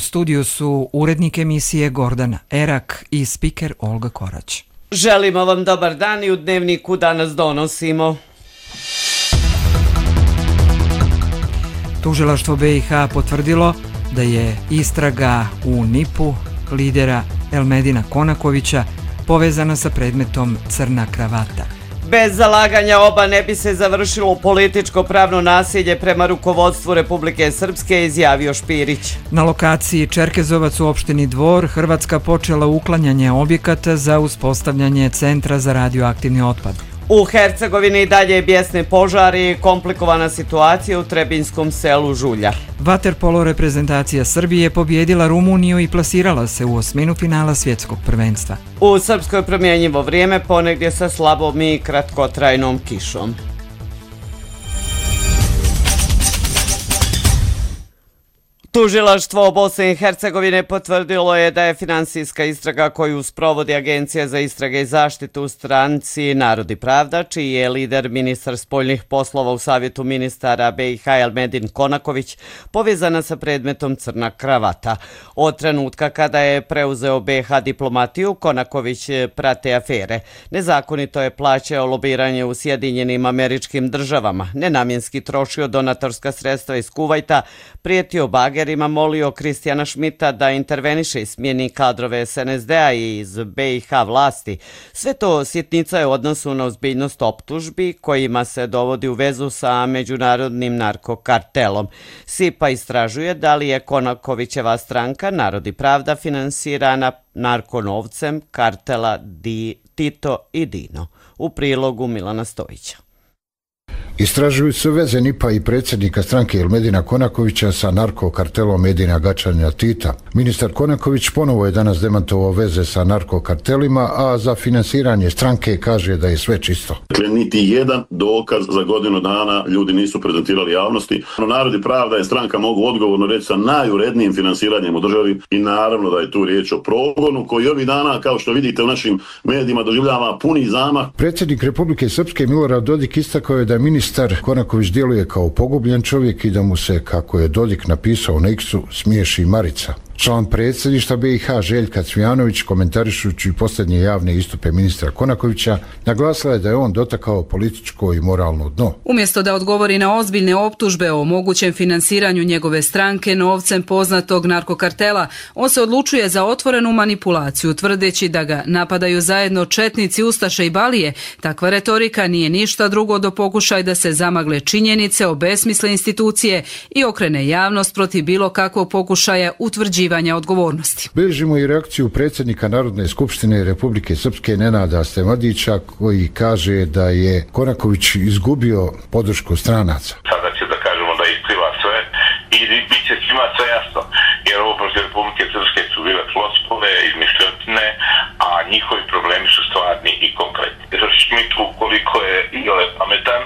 studiju su urednik emisije Gordana Erak i spiker Olga Korać. Želimo vam dobar dan i u Dnevniku danas donosimo. Tužilaštvo BiH potvrdilo da je istraga u NIP-u lidera Elmedina Konakovića povezana sa predmetom Crna kravata. Bez zalaganja oba ne bi se završilo političko pravno nasilje prema rukovodstvu Republike Srpske, izjavio Špirić. Na lokaciji Čerkezovac u opštini Dvor Hrvatska počela uklanjanje objekata za uspostavljanje centra za radioaktivni otpad. U Hercegovini dalje bijesne požari i komplikovana situacija u Trebinskom selu Žulja. Vaterpolo reprezentacija Srbije pobjedila Rumuniju i plasirala se u osminu finala svjetskog prvenstva. U Srpskoj promjenjivo vrijeme, ponegdje sa slabom i kratkotrajnom kišom. Tužilaštvo Bosne i Hercegovine potvrdilo je da je finansijska istraga koju sprovodi Agencija za istrage i zaštitu u stranci Narod i pravda, čiji je lider ministar spoljnih poslova u Savjetu ministara BiH Elmedin Konaković, povezana sa predmetom Crna kravata. Od trenutka kada je preuzeo BiH diplomatiju, Konaković prate afere. Nezakonito je plaćao lobiranje u Sjedinjenim Američkim Državama, nenamjenski trošio donatorska sredstva iz Kuvajta, prijetio bagerima, molio Kristijana Šmita da interveniše i smijeni kadrove SNSD-a i iz BiH vlasti. Sve to sitnica je u odnosu na ozbiljnost optužbi kojima se dovodi u vezu sa međunarodnim narkokartelom. SIPA istražuje da li je Konakovićeva stranka Narod i pravda finansirana narkonovcem kartela Tito i Dino. U prilogu Milana Stojića. Istražuju se veze NIP-a i predsjednika stranke Elmedina Konakovića sa narkokartelom Edina Gačanja Tita. Ministar Konaković ponovo je danas demantovao veze sa narkokartelima, a za finansiranje stranke kaže da je sve čisto. Niti jedan dokaz za godinu dana ljudi nisu prezentirali javnosti. Narod i pravda je stranka, mogu odgovorno reći, sa najurednijim finansiranjem u državi i naravno da je tu riječ o progonu koji ovih dana, kao što vidite u našim medijima, doživljava puni zamah. Predsjednik Republike Srpske Milorad Dodik istakao je da ministar Konaković djeluje kao pogubljen čovjek i da mu se, kako je Dodik napisao na X-u, smiješi Marica. Član predsjedništva BiH Željka Cvijanović, komentarišući posljednje javne istupe ministra Konakovića, naglasila je da je on dotakao političko i moralno dno. Umjesto da odgovori na ozbiljne optužbe o mogućem finansiranju njegove stranke novcem poznatog narkokartela, on se odlučuje za otvorenu manipulaciju, tvrdeći da ga napadaju zajedno četnici, ustaše i balije. Takva retorika nije ništa drugo do pokušaj da se zamagle činjenice, obesmisle institucije i okrene javnost protiv bilo kakvog pokušaja utvrđivanja odgovornosti. Bilježimo i reakciju predsjednika Narodne skupštine Republike Srpske Nenada Stemadića, koji kaže da je Konaković izgubio podršku stranaca. Sada će da kažemo da ispliva sve i bit će svima sve jasno, jer ovo protiv Republike Srpske su bile floskule, izmišljotine, a njihovi problemi su stvarni i konkretni. Šmit, ukoliko je iole pametan,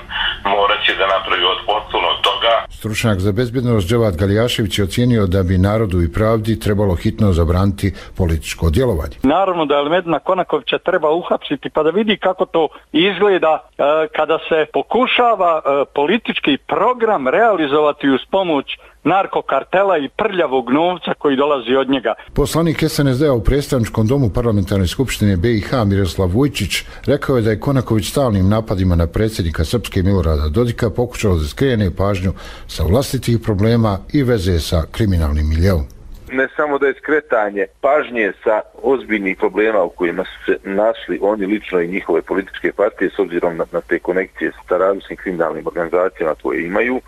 morat će da napravi otklon od toga. Stručnjak za bezbjednost Dževad Galijašević je ocijenio da bi Narodu i pravdi trebalo hitno zabraniti političko djelovanje. Naravno da Elmedina Konakovića treba uhapsiti pa da vidi kako to izgleda kada se pokušava politički program realizovati uz pomoć narkokartela i prljavog novca koji dolazi od njega. Poslanik SNSD-a u predstavničkom domu Parlamentarne skupštine BiH Miroslav Vujčić rekao je da je Konaković stalnim napadima na predsjednika Srpske Milorada Dodika pokušao da skrene pažnju sa vlastitih problema i veze sa kriminalnim miljeom. Ne samo da je skretanje pažnje sa ozbiljnih problema u kojima su se našli oni lično i njihove političke partije s obzirom na te konekcije sa različitim kriminalnim organizacijama koje imaju.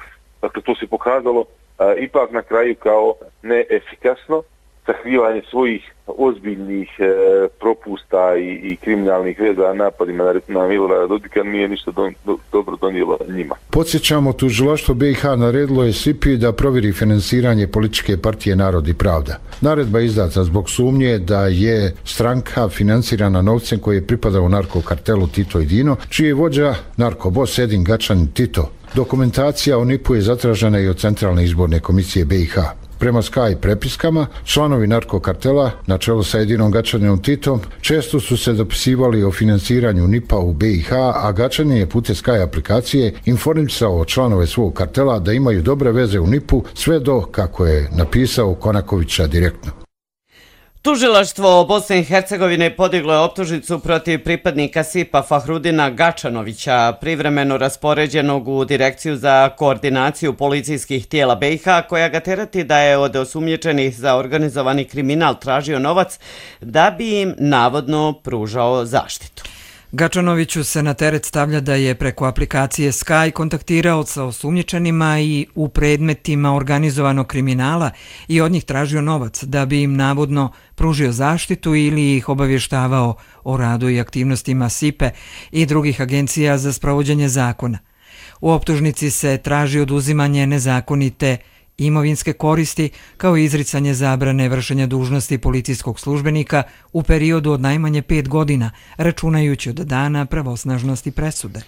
Dakle, to se pokazalo ipak na kraju kao neefikasno sakrivanje svojih ozbiljnih propusta i kriminalnih veza napadima na Milorada Dodika nije ništa dobro donijelo njima. Podsjećamo, tužilaštvo BiH naredilo je SIPI da provjeri finansiranje političke partije Narod i pravda. Naredba je izdata zbog sumnje da je stranka finansirana novcem koji je pripadao narkokartelu Tito i Dino, čiji je vođa narkobos Edin Gačan Tito. Dokumentacija o NIP-u je zatražena i od Centralne izborne komisije BiH. Prema Sky prepiskama, članovi narkokartela, na čelu sa Edinom Gačanom Titom, često su se dopisivali o financiranju NIP-a u BiH, a Gačanin je putem Sky aplikacije informisao članove svog kartela da imaju dobre veze u NIP-u, sve do, kako je napisao, Konakovića direktno. Tužilaštvo Bosne i Hercegovine podiglo je optužnicu protiv pripadnika SIP-a Fahrudina Gačanovića, privremeno raspoređenog u Direkciju za koordinaciju policijskih tijela BiH, koja ga terati da je od osumnjičenih za organizovani kriminal tražio novac da bi im navodno pružao zaštitu. Gačanoviću se na teret stavlja da je preko aplikacije Sky kontaktirao sa osumnjičenima i u predmetima organizovanog kriminala i od njih tražio novac da bi im navodno pružio zaštitu ili ih obavještavao o radu i aktivnostima SIP-e i drugih agencija za sprovođenje zakona. U optužnici se traži oduzimanje nezakonite imovinske koristi kao i izricanje zabrane vršenja dužnosti policijskog službenika u periodu od najmanje 5 godina, računajući od dana pravosnažnosti presude.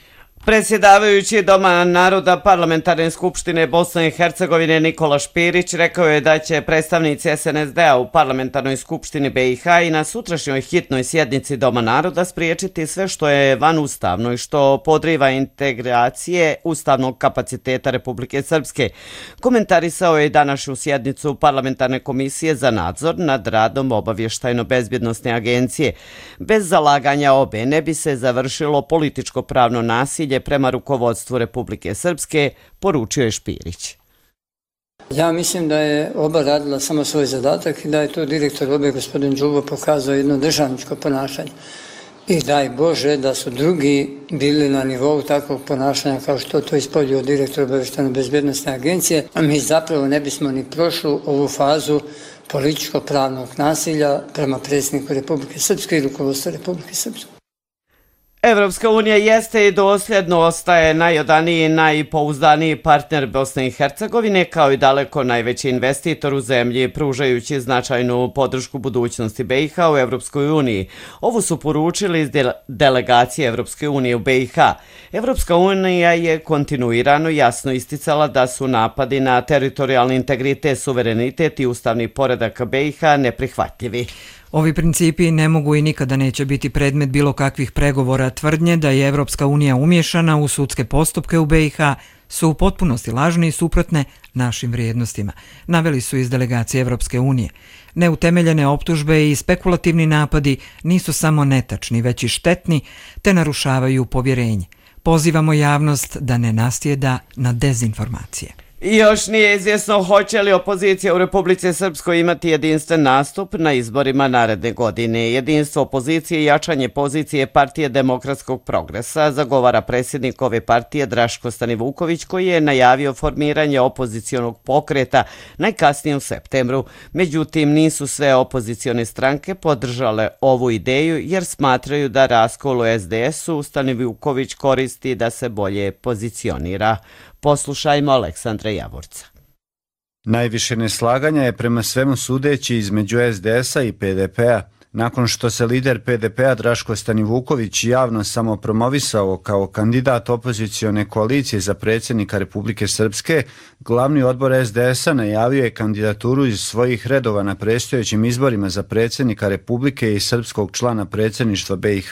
Predsjedavajući Doma naroda Parlamentarne skupštine Bosne i Hercegovine Nikola Špirić rekao je da će predstavnici SNSD-a u Parlamentarnoj skupštini BiH i na sutrašnjoj hitnoj sjednici Doma naroda spriječiti sve što je vanustavno i što podriva integracije ustavnog kapaciteta Republike Srpske. Komentarisao je i današnju sjednicu Parlamentarne komisije za nadzor nad radom obavještajno-bezbjednosne agencije. Bez zalaganja obe ne bi se završilo političko pravno nasilje prema rukovodstvu Republike Srpske, poručio je Špirić. Ja mislim da je oba radila samo svoj zadatak i da je to direktor obe, gospodin Đubo, pokazao jedno državničko ponašanje. I daj Bože da su drugi bili na nivou takvog ponašanja kao što to ispoljio direktor obavještajno-bezbjednosne agencije, a mi zapravo ne bismo ni prošli ovu fazu političko-pravnog nasilja prema predsjedniku Republike Srpske i rukovodstvu Republike Srpske. Evropska unija jeste i dosljedno ostaje najodaniji i najpouzdaniji partner Bosne i Hercegovine, kao i daleko najveći investitor u zemlji, pružajući značajnu podršku budućnosti BiH u Evropskoj uniji. Ovo su poručili iz delegacije Evropske unije u BiH. Evropska unija je kontinuirano jasno isticala da su napadi na teritorijalni integritet, suverenitet i ustavni poredak BiH neprihvatljivi. Ovi principi ne mogu i nikada neće biti predmet bilo kakvih pregovora. Tvrdnje da je Evropska unija umiješana u sudske postupke u BiH su u potpunosti lažne i suprotne našim vrijednostima, naveli su iz delegacije Evropske unije. Neutemeljene optužbe i spekulativni napadi nisu samo netačni, već i štetni, te narušavaju povjerenje. Pozivamo javnost da ne nasjeda na dezinformacije. I još nije izvjesno hoće li opozicija u Republici Srpskoj imati jedinstven nastup na izborima naredne godine. Jedinstvo opozicije i jačanje pozicije Partije demokratskog progresa zagovara predsjednik ove partije Draško Stanivuković, koji je najavio formiranje opozicionog pokreta najkasnije u septembru. Međutim, nisu sve opozicione stranke podržale ovu ideju jer smatraju da raskol u SDS-u Stanivuković koristi da se bolje pozicionira. Poslušajmo Aleksandra Javorca. Najviše neslaganja je prema svemu sudeći između SDS-a i PDP-a. Nakon što se lider PDP-a Draško Stanivuković javno samopromovisao kao kandidat opozicione koalicije za predsjednika Republike Srpske, glavni odbor SDS-a najavio je kandidaturu iz svojih redova na predstojećim izborima za predsjednika Republike i srpskog člana predsjedništva BiH.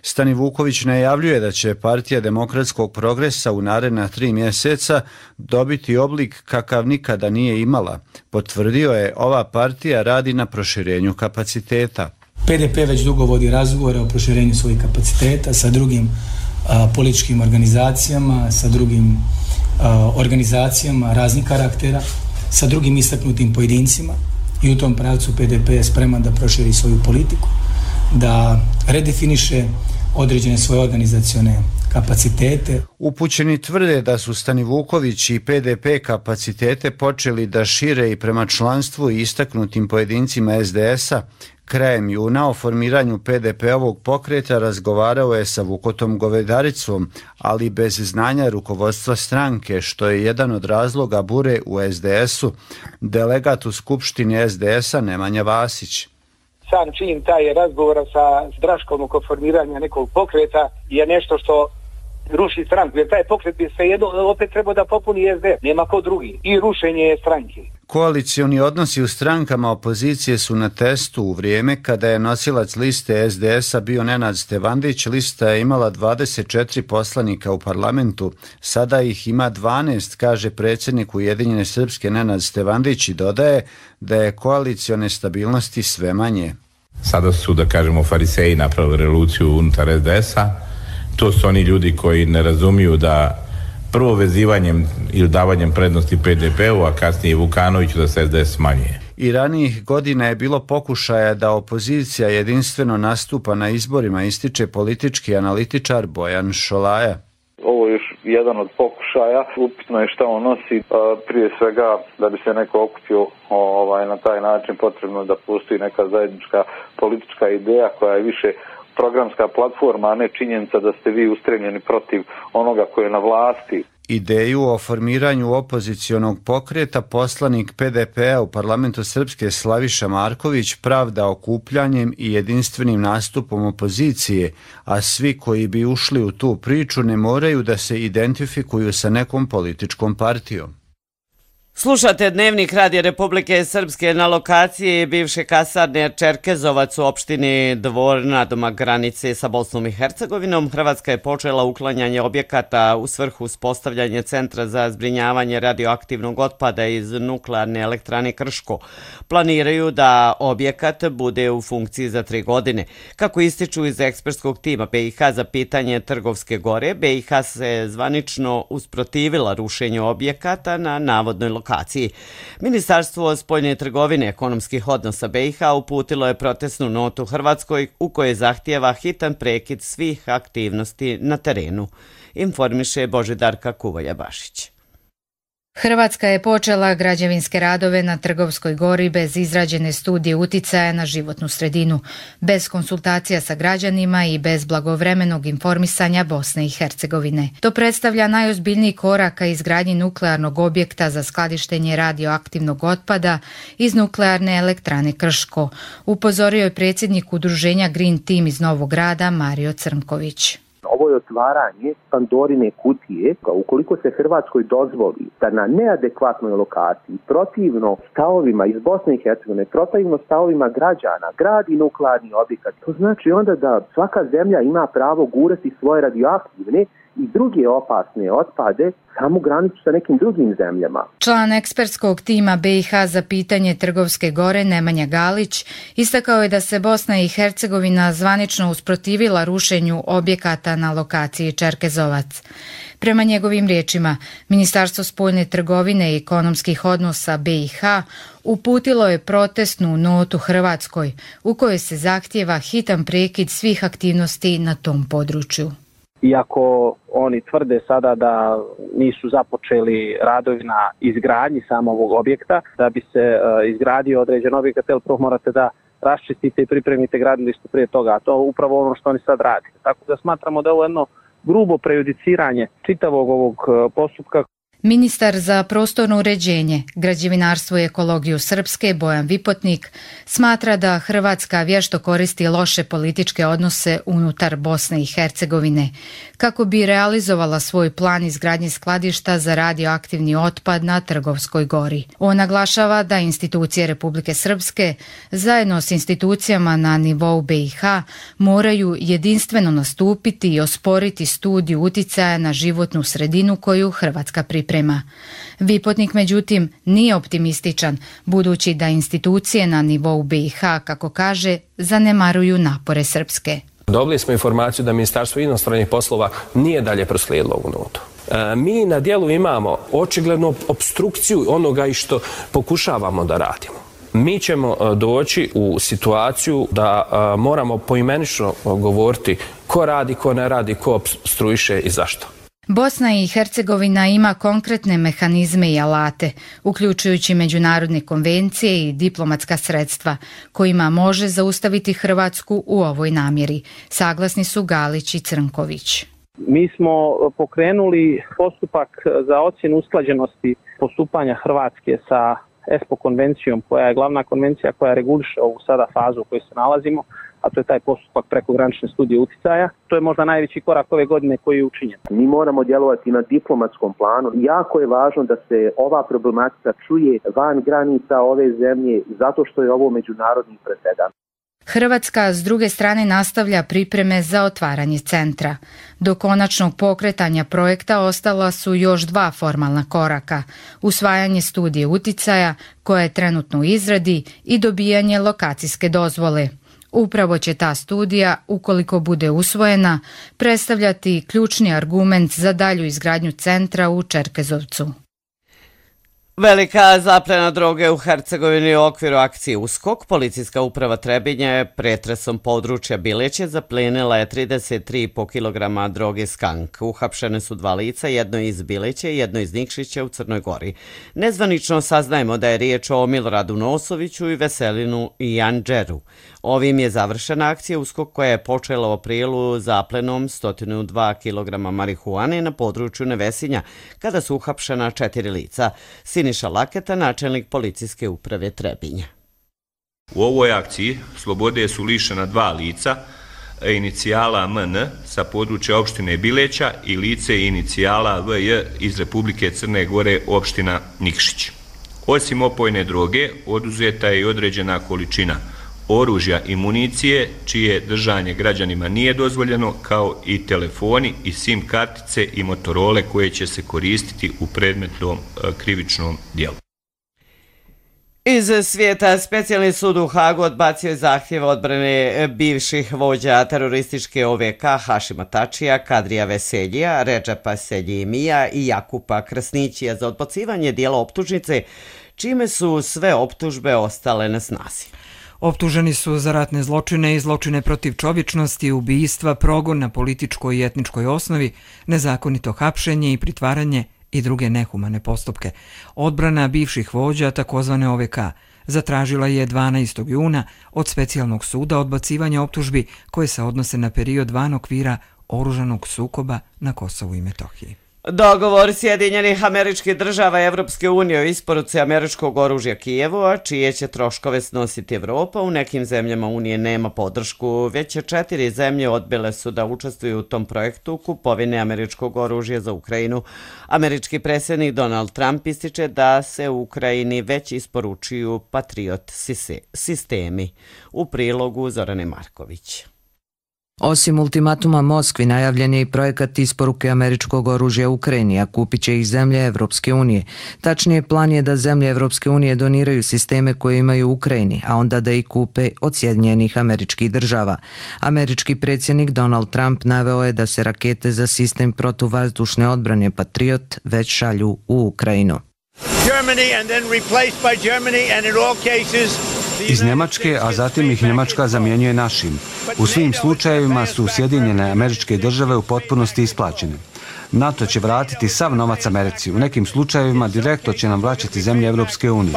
Stanivuković najavljuje da će Partija demokratskog progresa u naredna 3 mjeseca dobiti oblik kakav nikada nije imala. Potvrdio je, ova partija radi na proširenju kapaciteta. PDP već dugo vodi razgovore o proširenju svojih kapaciteta sa drugim političkim organizacijama, sa drugim organizacijama raznih karaktera, sa drugim istaknutim pojedincima i u tom pravcu PDP je spreman da proširi svoju politiku, da redefiniše određene svoje organizacione kapacitete. Upućeni tvrde da su Stanivuković i PDP kapacitete počeli da šire i prema članstvu i istaknutim pojedincima SDS-a. Krajem juna o formiranju PDP-ovog pokreta razgovarao je sa Vukotom Govedaricom, ali bez znanja rukovodstva stranke, što je jedan od razloga bure u SDS-u. Delegat u skupštini SDS-a Nemanja Vasić. Sam čin taj razgovora sa Draškom oko formiranja nekog pokreta je nešto što ruši stranku, jer taj pokret bi se jedno opet trebao da popuni SD, nema ko drugi, i rušenje stranke. Koalicioni odnosi u strankama opozicije su na testu u vrijeme kada je nosilac liste SDS-a bio Nenad Stevandić. Lista je imala 24 poslanika u parlamentu, sada ih ima 12, kaže predsjednik Ujedinjene Srpske Nenad Stevandić i dodaje da je koalicione stabilnosti sve manje. Sada su, da kažemo, fariseji napravili revoluciju unutar SDS-a. To su oni ljudi koji ne razumiju da prvo vezivanjem ili davanjem prednosti PDP-u, a kasnije Vukanoviću da se SDS smanjuje. I ranijih godina je bilo pokušaja da opozicija jedinstveno nastupa na izborima, ističe politički analitičar Bojan Šolaja. Ovo je još jedan od pokušaja. Upitno je šta on nosi. Prije svega, da bi se neko okupio na taj način, potrebno da postoji neka zajednička politička ideja koja je više programska platforma, a ne činjenica da ste vi ustremljeni protiv onoga koje je na vlasti. Ideju o formiranju opozicionog pokreta poslanik PDP-a u parlamentu Srpske Slaviša Marković pravda okupljanjem i jedinstvenim nastupom opozicije, a svi koji bi ušli u tu priču ne moraju da se identifikuju sa nekom političkom partijom. Slušate Dnevnik Radija Republike Srpske. Na lokaciji bivše kasarne Čerkezovac u opštini Dvor nadomak granice sa Bosnom i Hercegovinom, Hrvatska je počela uklanjanje objekata u svrhu uspostavljanja centra za zbrinjavanje radioaktivnog otpada iz nuklearne elektrane Krško. Planiraju da objekat bude u funkciji za 3 godine. Kako ističu iz ekspertskog tima BiH za pitanje Trgovske gore, BiH se zvanično usprotivila rušenju objekata na navodnoj lokaciji. Ministarstvo spoljne trgovine i ekonomskih odnosa BiH uputilo je protestnu notu Hrvatskoj u kojoj zahtijeva hitan prekid svih aktivnosti na terenu, informiše Božidarka Kuvolja-Bašić. Hrvatska je počela građevinske radove na Trgovskoj gori bez izrađene studije uticaja na životnu sredinu, bez konsultacija sa građanima i bez blagovremenog informisanja Bosne i Hercegovine. To predstavlja najozbiljniji korak ka izgradnji nuklearnog objekta za skladištenje radioaktivnog otpada iz nuklearne elektrane Krško, upozorio je predsjednik udruženja Green Team iz Novog Grada Mario Crnković. Ovo je otvaranje Pandorine kutije. Ukoliko se Hrvatskoj dozvoli da na neadekvatnoj lokaciji, protivno stavovima iz Bosne i Hercegovine, protivno stavovima građana, gradi nuklearni objekat, to znači onda da svaka zemlja ima pravo gurati svoje radioaktivne i druge opasne otpade samu granicu sa nekim drugim zemljama. Član ekspertskog tima BiH za pitanje Trgovske gore Nemanja Galić istakao je da se Bosna i Hercegovina zvanično usprotivila rušenju objekata na lokaciji Čerkezovac. Prema njegovim riječima, Ministarstvo spoljne trgovine i ekonomskih odnosa BiH uputilo je protestnu notu Hrvatskoj u kojoj se zahtijeva hitan prekid svih aktivnosti na tom području. Iako oni tvrde sada da nisu započeli radovi na izgradnji samog objekta, da bi se izgradio određen objekat, prvo morate da raščistite i pripremite gradilište prije toga, a to je upravo ono što oni sad rade. Tako da smatramo da je ovo jedno grubo prejudiciranje čitavog ovog postupka. Ministar za prostorno uređenje, građevinarstvo i ekologiju Srpske Bojan Vipotnik smatra da Hrvatska vješto koristi loše političke odnose unutar Bosne i Hercegovine kako bi realizovala svoj plan izgradnje skladišta za radioaktivni otpad na Trgovskoj gori. On naglašava da institucije Republike Srpske zajedno s institucijama na nivou BiH moraju jedinstveno nastupiti i osporiti studiju uticaja na životnu sredinu koju Hrvatska priprema. Vipotnik, međutim, nije optimističan, budući da institucije na nivou BiH, kako kaže, zanemaruju napore Srpske. Dobili smo informaciju da Ministarstvo inostranih poslova nije dalje proslijedilo ovu notu. Mi na dijelu imamo očiglednu opstrukciju onoga i što pokušavamo da radimo. Mi ćemo doći u situaciju da moramo poimenično govoriti ko radi, ko ne radi, ko opstruiše i zašto. Bosna i Hercegovina ima konkretne mehanizme i alate, uključujući međunarodne konvencije i diplomatska sredstva, kojima može zaustaviti Hrvatsku u ovoj namjeri. Saglasni su Galić i Crnković. Mi smo pokrenuli postupak za ocjenu usklađenosti postupanja Hrvatske sa ESPO konvencijom, koja je glavna konvencija koja reguliše ovu sada fazu u kojoj se nalazimo, a to je taj postupak prekogranične studije uticaja. To je možda najveći korak ove godine koji je učinjen. Mi moramo djelovati na diplomatskom planu. Jako je važno da se ova problematika čuje van granica ove zemlje zato što je ovo međunarodni presedan. Hrvatska s druge strane nastavlja pripreme za otvaranje centra. Do konačnog pokretanja projekta ostala su još 2 formalna koraka. Usvajanje studije uticaja, koja je trenutno u izradi, i dobijanje lokacijske dozvole. Upravo će ta studija, ukoliko bude usvojena, predstavljati ključni argument za dalju izgradnju centra u Čerkezovcu. Velika zaplena droge u Hercegovini u okviru akcije USKOK. Policijska uprava Trebinje je pretresom područja Bileće zaplenila je 33,5 kg droge skank. Uhapšene su 2 lica, jedno iz Bileće i jedno iz Nikšića u Crnoj Gori. Nezvanično saznajemo da je riječ o Miloradu Nosoviću i Veselinu Janđeru. Ovim je završena akcija USKOK koja je počela u aprilu zaplenom 102 kg marihuane na području Nevesinja, kada su uhapšena 4 lica. Siniša Laketa, načelnik policijske uprave Trebinja. U ovoj akciji slobode su lišena 2 lica, inicijala MN sa područja opštine Bileća i lice inicijala VJ iz Republike Crne Gore, opština Nikšić. Osim opojne droge, oduzeta je i određena količina oružja i municije, čije držanje građanima nije dozvoljeno, kao i telefoni i SIM kartice i motorole koje će se koristiti u predmetnom krivičnom dijelu. Iz svijeta, specijalni sud u Hagu odbacio je zahtjev odbrane bivših vođa terorističke OVK Hašima Tačija, Kadrija Veseljija, Redžepa Seljimija i Jakupa Krasnićija za odbacivanje dijela optužnice, čime su sve optužbe ostale na snazi. Optuženi su za ratne zločine i zločine protiv čovječnosti, ubistva, progon na političkoj i etničkoj osnovi, nezakonito hapšenje i pritvaranje i druge nehumane postupke. Odbrana bivših vođa, takozvane OVK, zatražila je 12. juna od specijalnog suda odbacivanje optužbi koje se odnose na period van okvira oružanog sukoba na Kosovu i Metohiji. Dogovor Sjedinjenih Američkih Država i Evropske unije o isporuci američkog oružja Kijevu, a čije će troškove snositi Evropa, u nekim zemljama Unije nema podršku. Već 4 zemlje odbile su da učestvuju u tom projektu kupovine američkog oružja za Ukrajinu. Američki predsjednik Donald Trump ističe da se u Ukrajini već isporučuju Patriot sistemi. U prilogu Zorane Marković. Osim ultimatuma Moskvi, najavljen je i projekat isporuke američkog oružja Ukrajini, a kupit će ih zemlje Evropske unije. Tačnije, plan je da zemlje Evropske unije doniraju sisteme koje imaju u Ukrajini, a onda da ih kupe od Sjedinjenih Američkih Država. Američki predsjednik Donald Trump naveo je da se rakete za sistem protuvazdušne odbrane Patriot već šalju u Ukrajinu. Iz Njemačke, a zatim ih Njemačka zamjenjuje našim. U svim slučajevima su Sjedinjene Američke Države u potpunosti isplaćene. NATO će vratiti sav novac Americi. U nekim slučajevima direktno će nam vraćati zemlje Evropske unije.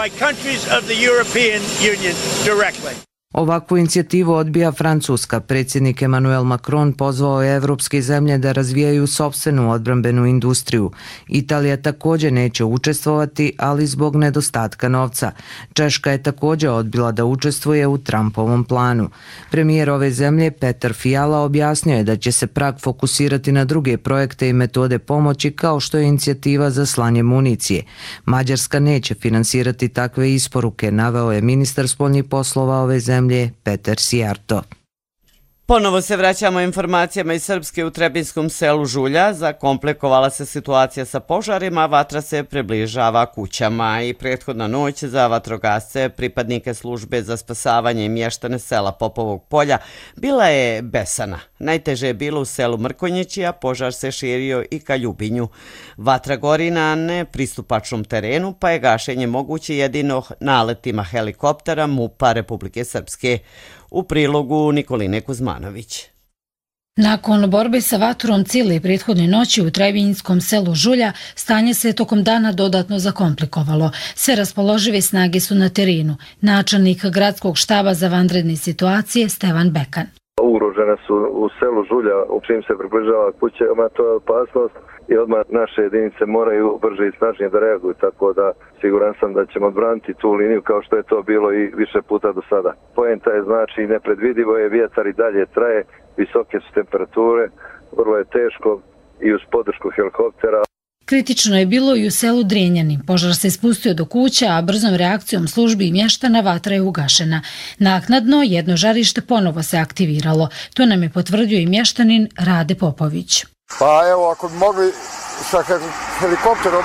Ovakvu inicijativu odbija Francuska. Predsjednik Emmanuel Macron pozvao je evropske zemlje da razvijaju sopstvenu odbrambenu industriju. Italija također neće učestvovati, ali zbog nedostatka novca. Češka je također odbila da učestvuje u Trumpovom planu. Premijer ove zemlje Petar Fiala objasnio je da će se Prag fokusirati na druge projekte i metode pomoći, kao što je inicijativa za slanje municije. Mađarska neće finansirati takve isporuke, naveo je ministar spoljnih poslova ove zemlje Petar Sijarto. Ponovo se vraćamo informacijama iz Srpske. U Trebinskom selu Žulja zakomplikovala se situacija sa požarima, vatra se približava kućama i prethodna noć za vatrogasce, pripadnike službe za spasavanje i mještane sela Popovog polja bila je besana. Najteže je bilo u selu Mrkonjići, a požar se širio i ka Ljubinju. Vatra gori na nepristupačnom terenu, pa je gašenje moguće jedino naletima helikoptera MUP-a Republike Srpske. U prilogu Nikoline Kuzmanović. Nakon borbe sa vatrom cijele prethodne noći u Trebinjskom selu Žulja, stanje se tokom dana dodatno zakomplikovalo. Sve raspoložive snage su na terenu. Načelnik gradskog štaba za vanredne situacije Stevan Bekan. ugrožene su u selu Žulja, u čim se približava kućama, to je opasnost i odmah naše jedinice moraju brže i snažnije da reaguju, tako da siguran sam da ćemo odbraniti tu liniju kao što je to bilo i više puta do sada. Poenta je znači nepredvidivo je, vjetar i dalje traje, visoke su temperature, vrlo je teško i uz podršku helikoptera. Kritično je bilo i u selu Drenjani. Požar se spustio do kuća, a brzom reakcijom službi i mještana vatra je ugašena. Naknadno jedno žarište ponovo se aktiviralo. To nam je potvrdio i mještanin Rade Popović. Pa evo, ako bi mogli sa helikopterom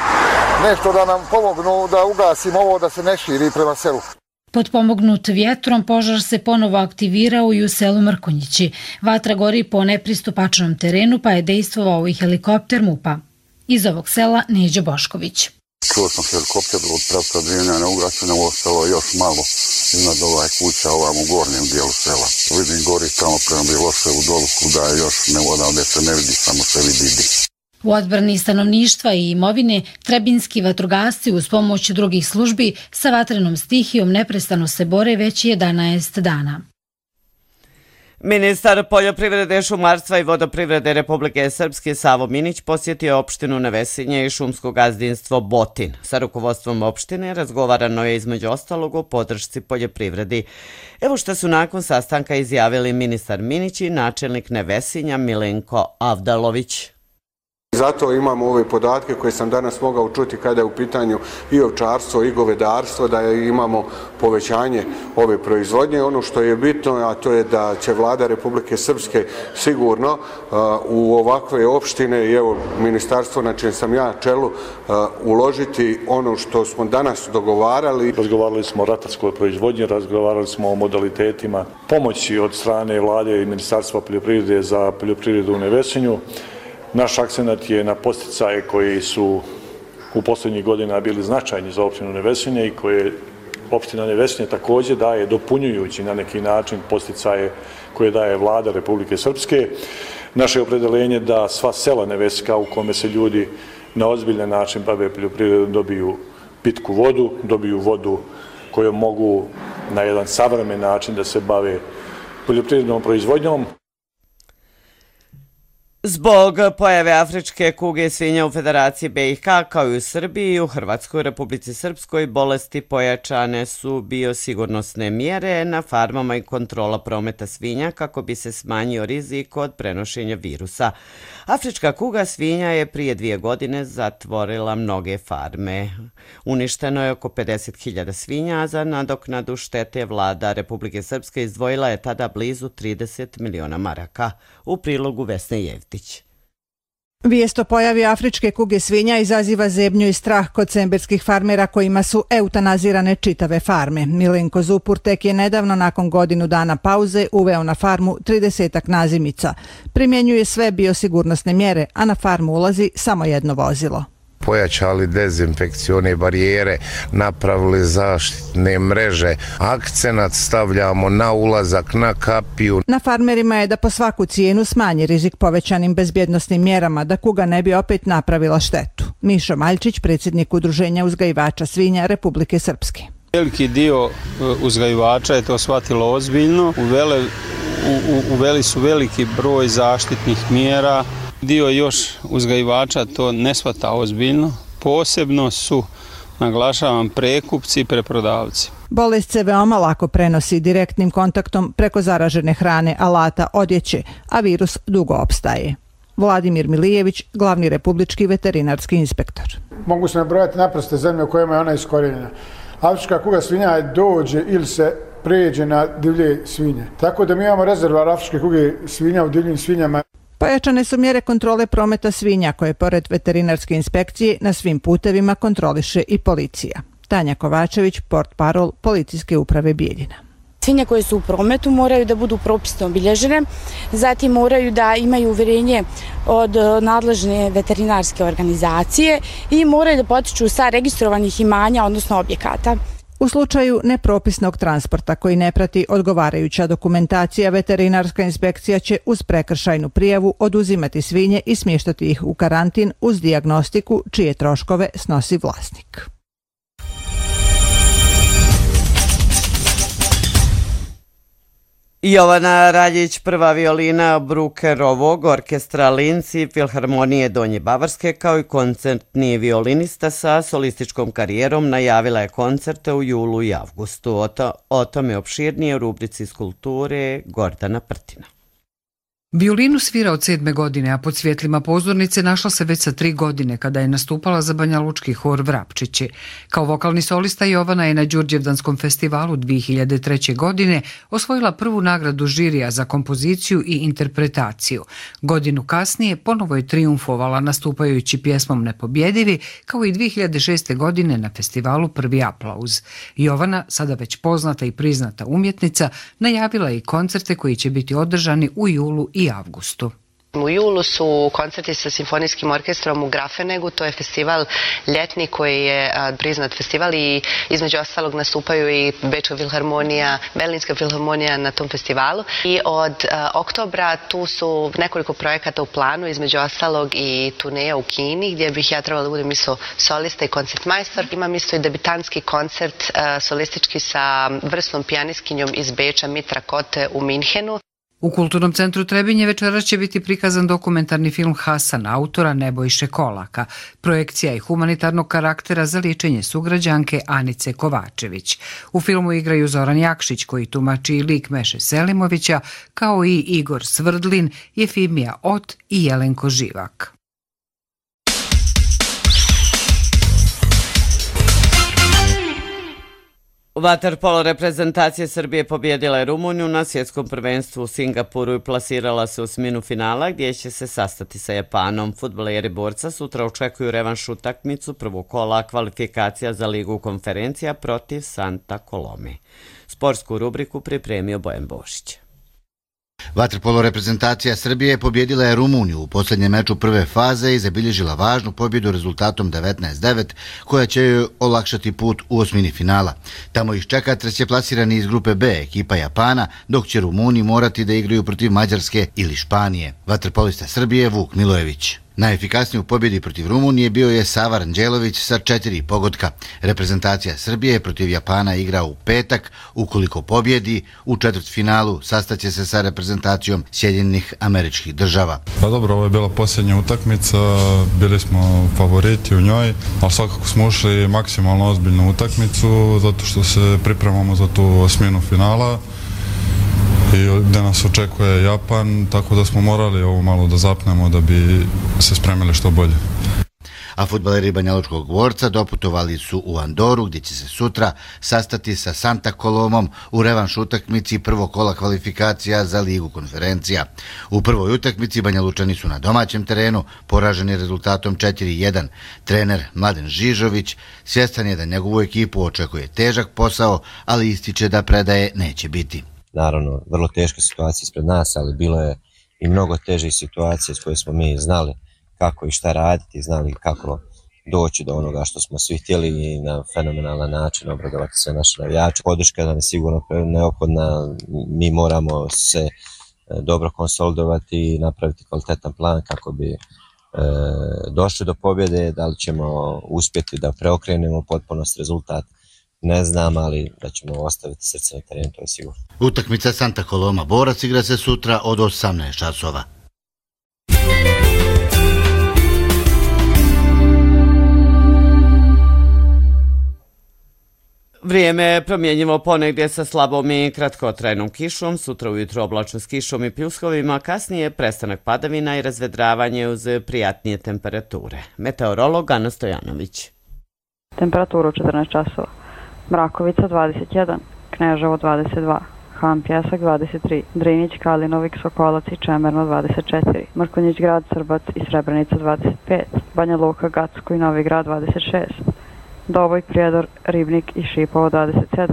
nešto da nam pomognu da ugasimo ovo, da se ne širi prema selu. Potpomognut vjetrom, požar se ponovo aktivirao i u selu Mrkonjići. Vatra gori po nepristupačnom terenu, pa je dejstvovao i helikopter MUP-a. Iz ovog sela Neđo Bošković. Čuo sam helikopter od pravca Drenjana ugašena, ostalo još malo iznad ovaj kuća ovam u gornjem dijelu sela. Vidim gori tamo prema Biloševu dolu kuda je još ne odavde se ne vidi, samo se vidi dim. U odbrani stanovništva i imovine trebinski vatrogasci uz pomoć drugih službi sa vatrenom stihijom neprestano se bore već 11 dana. Ministar poljoprivrede, šumarstva i vodoprivrede Republike Srpske Savo Minić posjetio opštinu Nevesinje i šumsko gazdinstvo Botin. Sa rukovodstvom opštine razgovarano je između ostalog o podršci poljoprivredi. Evo što su nakon sastanka izjavili ministar Minić i načelnik Nevesinja Milenko Avdalović. Zato imamo ove podatke koje sam danas mogao čuti kada je u pitanju i ovčarstvo i govedarstvo, da imamo povećanje ove proizvodnje. Ono što je bitno, a to je da će vlada Republike Srpske sigurno u ovakve opštine i evo ministarstvo na čijem sam ja čelu uložiti ono što smo danas dogovarali. Razgovarali smo o ratarskoj proizvodnji, razgovarali smo o modalitetima pomoći od strane vlade i ministarstva poljoprivrede za poljoprivredu u Nevesinju. Naš akcenat je na posticaje koji su u posljednjih godina bili značajni za opštinu Nevesinje i koje opština Nevesinje također daje dopunjujući na neki način posticaje koje daje vlada Republike Srpske. Naše opredeljenje da sva sela Nevesinja u kome se ljudi na ozbiljan način bave poljoprivredom dobiju pitku vodu, dobiju vodu kojom mogu na jedan savremen način da se bave poljoprivrednom proizvodnjom. Zbog pojave afričke kuge svinja u Federaciji BiH kao i u Srbiji i u Hrvatskoj, Republici Srpskoj bolesti pojačane su biosigurnosne mjere na farmama i kontrola prometa svinja kako bi se smanjio rizik od prenošenja virusa. Afrička kuga svinja je prije 2 godine zatvorila mnoge farme. Uništeno je oko 50.000 svinja, a za nadoknadu štete vlada Republike Srpske izdvojila je tada blizu 30 miliona maraka. U prilogu Vesne Jevtić. Vijest o pojavi afričke kuge svinja izaziva zebnju i strah kod semberskih farmera kojima su eutanazirane čitave farme. Milenko Zupur tek je nedavno nakon godinu dana pauze uveo na farmu 30 nazimica. Primjenjuje sve biosigurnosne mjere, a na farmu ulazi samo jedno vozilo. Pojačali dezinfekcione barijere, napravili zaštitne mreže, akcenat stavljamo na ulazak, na kapiju. Na farmerima je da po svaku cijenu smanji rizik povećanim bezbjednosnim mjerama da kuga ne bi opet napravila štetu. Mišo Maljčić, predsjednik Udruženja uzgajivača svinja Republike Srpske. Veliki dio uzgajivača je to shvatilo ozbiljno, uveli su veliki broj zaštitnih mjera. Dio još uzgajivača to ne shvata ozbiljno, posebno su, naglašavam, prekupci i preprodavci. Bolest se veoma lako prenosi direktnim kontaktom preko zaražene hrane, alata, odjeće, a virus dugo opstaje. Vladimir Milijević, glavni republički veterinarski inspektor. Mogu se nabrojati naprosto zemlje u kojima je ona iskorijenjena. Afrička kuga svinja dođe ili se pređe na divlje svinje. Tako da mi imamo rezervoar afričke kuge svinja u divljim svinjama. Pojačane su mjere kontrole prometa svinja koje pored veterinarske inspekcije na svim putevima kontroliše i policija. Tanja Kovačević, portparol Policijske uprave Bijeljina. Svinje koje su u prometu moraju da budu propisno obilježene, zatim moraju da imaju uvjerenje od nadležne veterinarske organizacije i moraju da potiču sa registrovanih imanja, odnosno objekata. U slučaju nepropisnog transporta koji ne prati odgovarajuća dokumentacija, veterinarska inspekcija će uz prekršajnu prijavu oduzimati svinje i smještati ih u karantin uz dijagnostiku čije troškove snosi vlasnik. Jovana Raljić, prva violina Brukerovog orkestra Linci Filharmonije Donje Bavarske, kao i koncertni violinista sa solističkom karijerom, najavila je koncerte u julu i avgustu. O tome opširnije u rubrici iz kulture Gordana Prtina. Violinu svira od 7. godine, a pod svjetlima pozornice našla se već sa 3 godine kada je nastupala za banjalučki hor Vrapčići. Kao vokalni solista Jovana je na Đurđevdanskom festivalu 2003. godine osvojila prvu nagradu žirija za kompoziciju i interpretaciju. Godinu kasnije ponovo je triumfovala nastupajući pjesmom Nepobjedivi, kao i 2006. godine na festivalu Prvi aplauz. Jovana, sada već poznata i priznata umjetnica, najavila je i koncerte koji će biti održani u julu i avgustu. U julu su koncerti sa simfonijskim orkestrom u Grafenegu, to je festival ljetni koji je priznat festival i između ostalog nastupaju i Bečka filharmonija, Berlinska filharmonija na tom festivalu. I od oktobra tu su nekoliko projekata u planu, između ostalog i turneja u Kini gdje bih ja trebala da budem isto solista i koncertmajstor. Imam isto i debitanski koncert solistički sa vrsnom pijaniskinjom iz Beča Mitra Kote u Minhenu. U Kulturnom centru Trebinje večeras će biti prikazan dokumentarni film Hasan autora Nebojše Kolaka. Projekcija je humanitarnog karaktera za liječenje sugrađanke Anice Kovačević. U filmu igraju Zoran Jakšić koji tumači i lik Meše Selimovića, kao i Igor Svrdlin, Jefimija Ot i Jelenko Živak. Vaterpolo reprezentacije Srbije pobjedila je Rumuniju na svjetskom prvenstvu u Singapuru i plasirala se u osminu finala gdje će se sastati sa Japanom. Fudbaleri borca sutra očekuju revanš utakmicu prvog kola kvalifikacija za Ligu konferencija protiv Santa Colome. Sportsku rubriku pripremio Bojan Bošić. Vaterpolo reprezentacija Srbije pobjedila je Rumuniju u posljednjem meču prve faze i zabilježila važnu pobjedu rezultatom 19-9, koja će joj olakšati put u osmini finala. Tamo ih čeka trećeplasirani iz grupe B, ekipa Japana, dok će Rumuni morati da igraju protiv Mađarske ili Španije. Vaterpolista Srbije Vuk Milojević. Najefikasniji u pobjedi protiv Rumunije bio je Sava Ranđelović sa 4 pogotka. Reprezentacija Srbije protiv Japana igra u petak. Ukoliko pobjedi, u četvrtfinalu sastaće se sa reprezentacijom Sjedinjenih Američkih Država. Pa dobro, ovo je bila posljednja utakmica, bili smo favoriti u njoj, ali svakako smo ušli maksimalno ozbiljnu utakmicu, zato što se pripremamo za tu osminu finala i gdje nas očekuje Japan, tako da smo morali ovo malo da zapnemo da bi se spremili što bolje. A fudbaleri banjalučkog dvorca doputovali su u Andoru, gdje će se sutra sastati sa Santa Colomom u revanš utakmici prvog kola kvalifikacija za Ligu konferencija. U prvoj utakmici Banjalučani su na domaćem terenu poraženi rezultatom 4-1. Trener Mladen Žižović svjestan je da njegovu ekipu očekuje težak posao, ali ističe da predaje neće biti. Naravno, vrlo teška situacija ispred nas, ali bilo je i mnogo težih situacija s koje smo mi znali kako i šta raditi, znali kako doći do onoga što smo svi htjeli i na fenomenalan način obradovati sve naše navijače. Podrška nam je sigurno neophodna, mi moramo se dobro konsolidovati i napraviti kvalitetan plan kako bi došli do pobjede. Da li ćemo uspjeti da preokrenemo potpunost rezultat, ne znam, ali da ćemo ostaviti srce na terenu, to je sigurno. Utakmica Santa Coloma Borac igra se sutra od 18 časova. Vrijeme je promjenjivo ponegdje sa slabom i kratkotrajnom kišom, sutra ujutro oblačno s kišom i pljuskovima, kasnije prestanak padavina i razvedravanje uz prijatnije temperature. Meteorolog Ana Stojanović. Temperatura u 14 časova. Mrakovica 21, Kneževo 22, Han Pjesak 23, Drinić, Kalinovik, Sokolac i Čemerno 24, Mrkonjić grad, Srbac i Srebrenica 25, Banja Luka, Gacko i Novi grad 26, Doboj, Prijedor, Ribnik i Šipovo 27,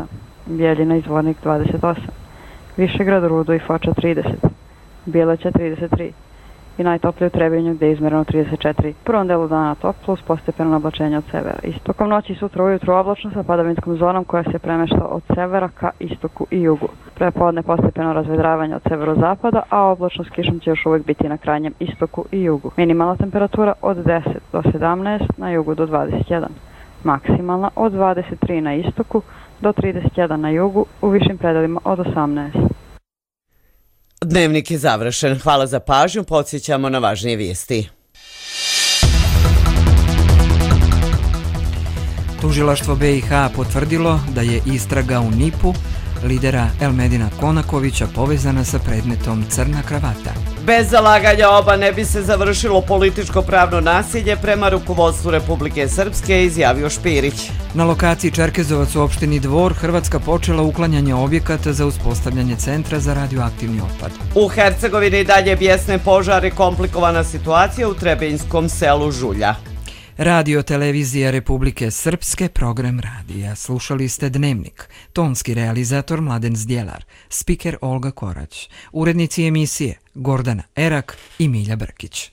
Bijeljina i Zvornik 28, Višegrad, Rudo i Foča 30, Bileća 33 i najtoplije u Trebinju gdje je izmjereno 34. U prvom delu dana toplo uz postepeno oblačenje od severa. Tokom noći i sutra ujutru oblačno sa padavinskom zonom koja se premešta od severa ka istoku i jugu. Prepodne postepeno razvedravanje od severozapada, a oblačno s kišom će još uvijek biti na krajnjem istoku i jugu. Minimalna temperatura od 10 do 17, na jugu do 21. Maksimalna od 23 na istoku do 31 na jugu, u višim predelima od 18. Dnevnik je završen. Hvala za pažnju, podsjećamo na važnije vijesti. Tužilaštvo BiH potvrdilo da je istraga u NIP-u lidera Elmedina Konakovića povezana sa predmetom Crna kravata. Bez zalaganja oba ne bi se završilo političko pravno nasilje prema rukovodstvu Republike Srpske, izjavio Špirić. Na lokaciji Čerkezovac u opštini Dvor Hrvatska počela uklanjanje objekata za uspostavljanje centra za radioaktivni otpad. U Hercegovini dalje bijesne požare, komplikovana situacija u Trebenjskom selu Žulja. Radio televizija Republike Srpske, program radija. Slušali ste Dnevnik. Tonski realizator Mladen Zdjelar, spiker Olga Korać, urednici emisije Gordana Erak i Milja Brkić.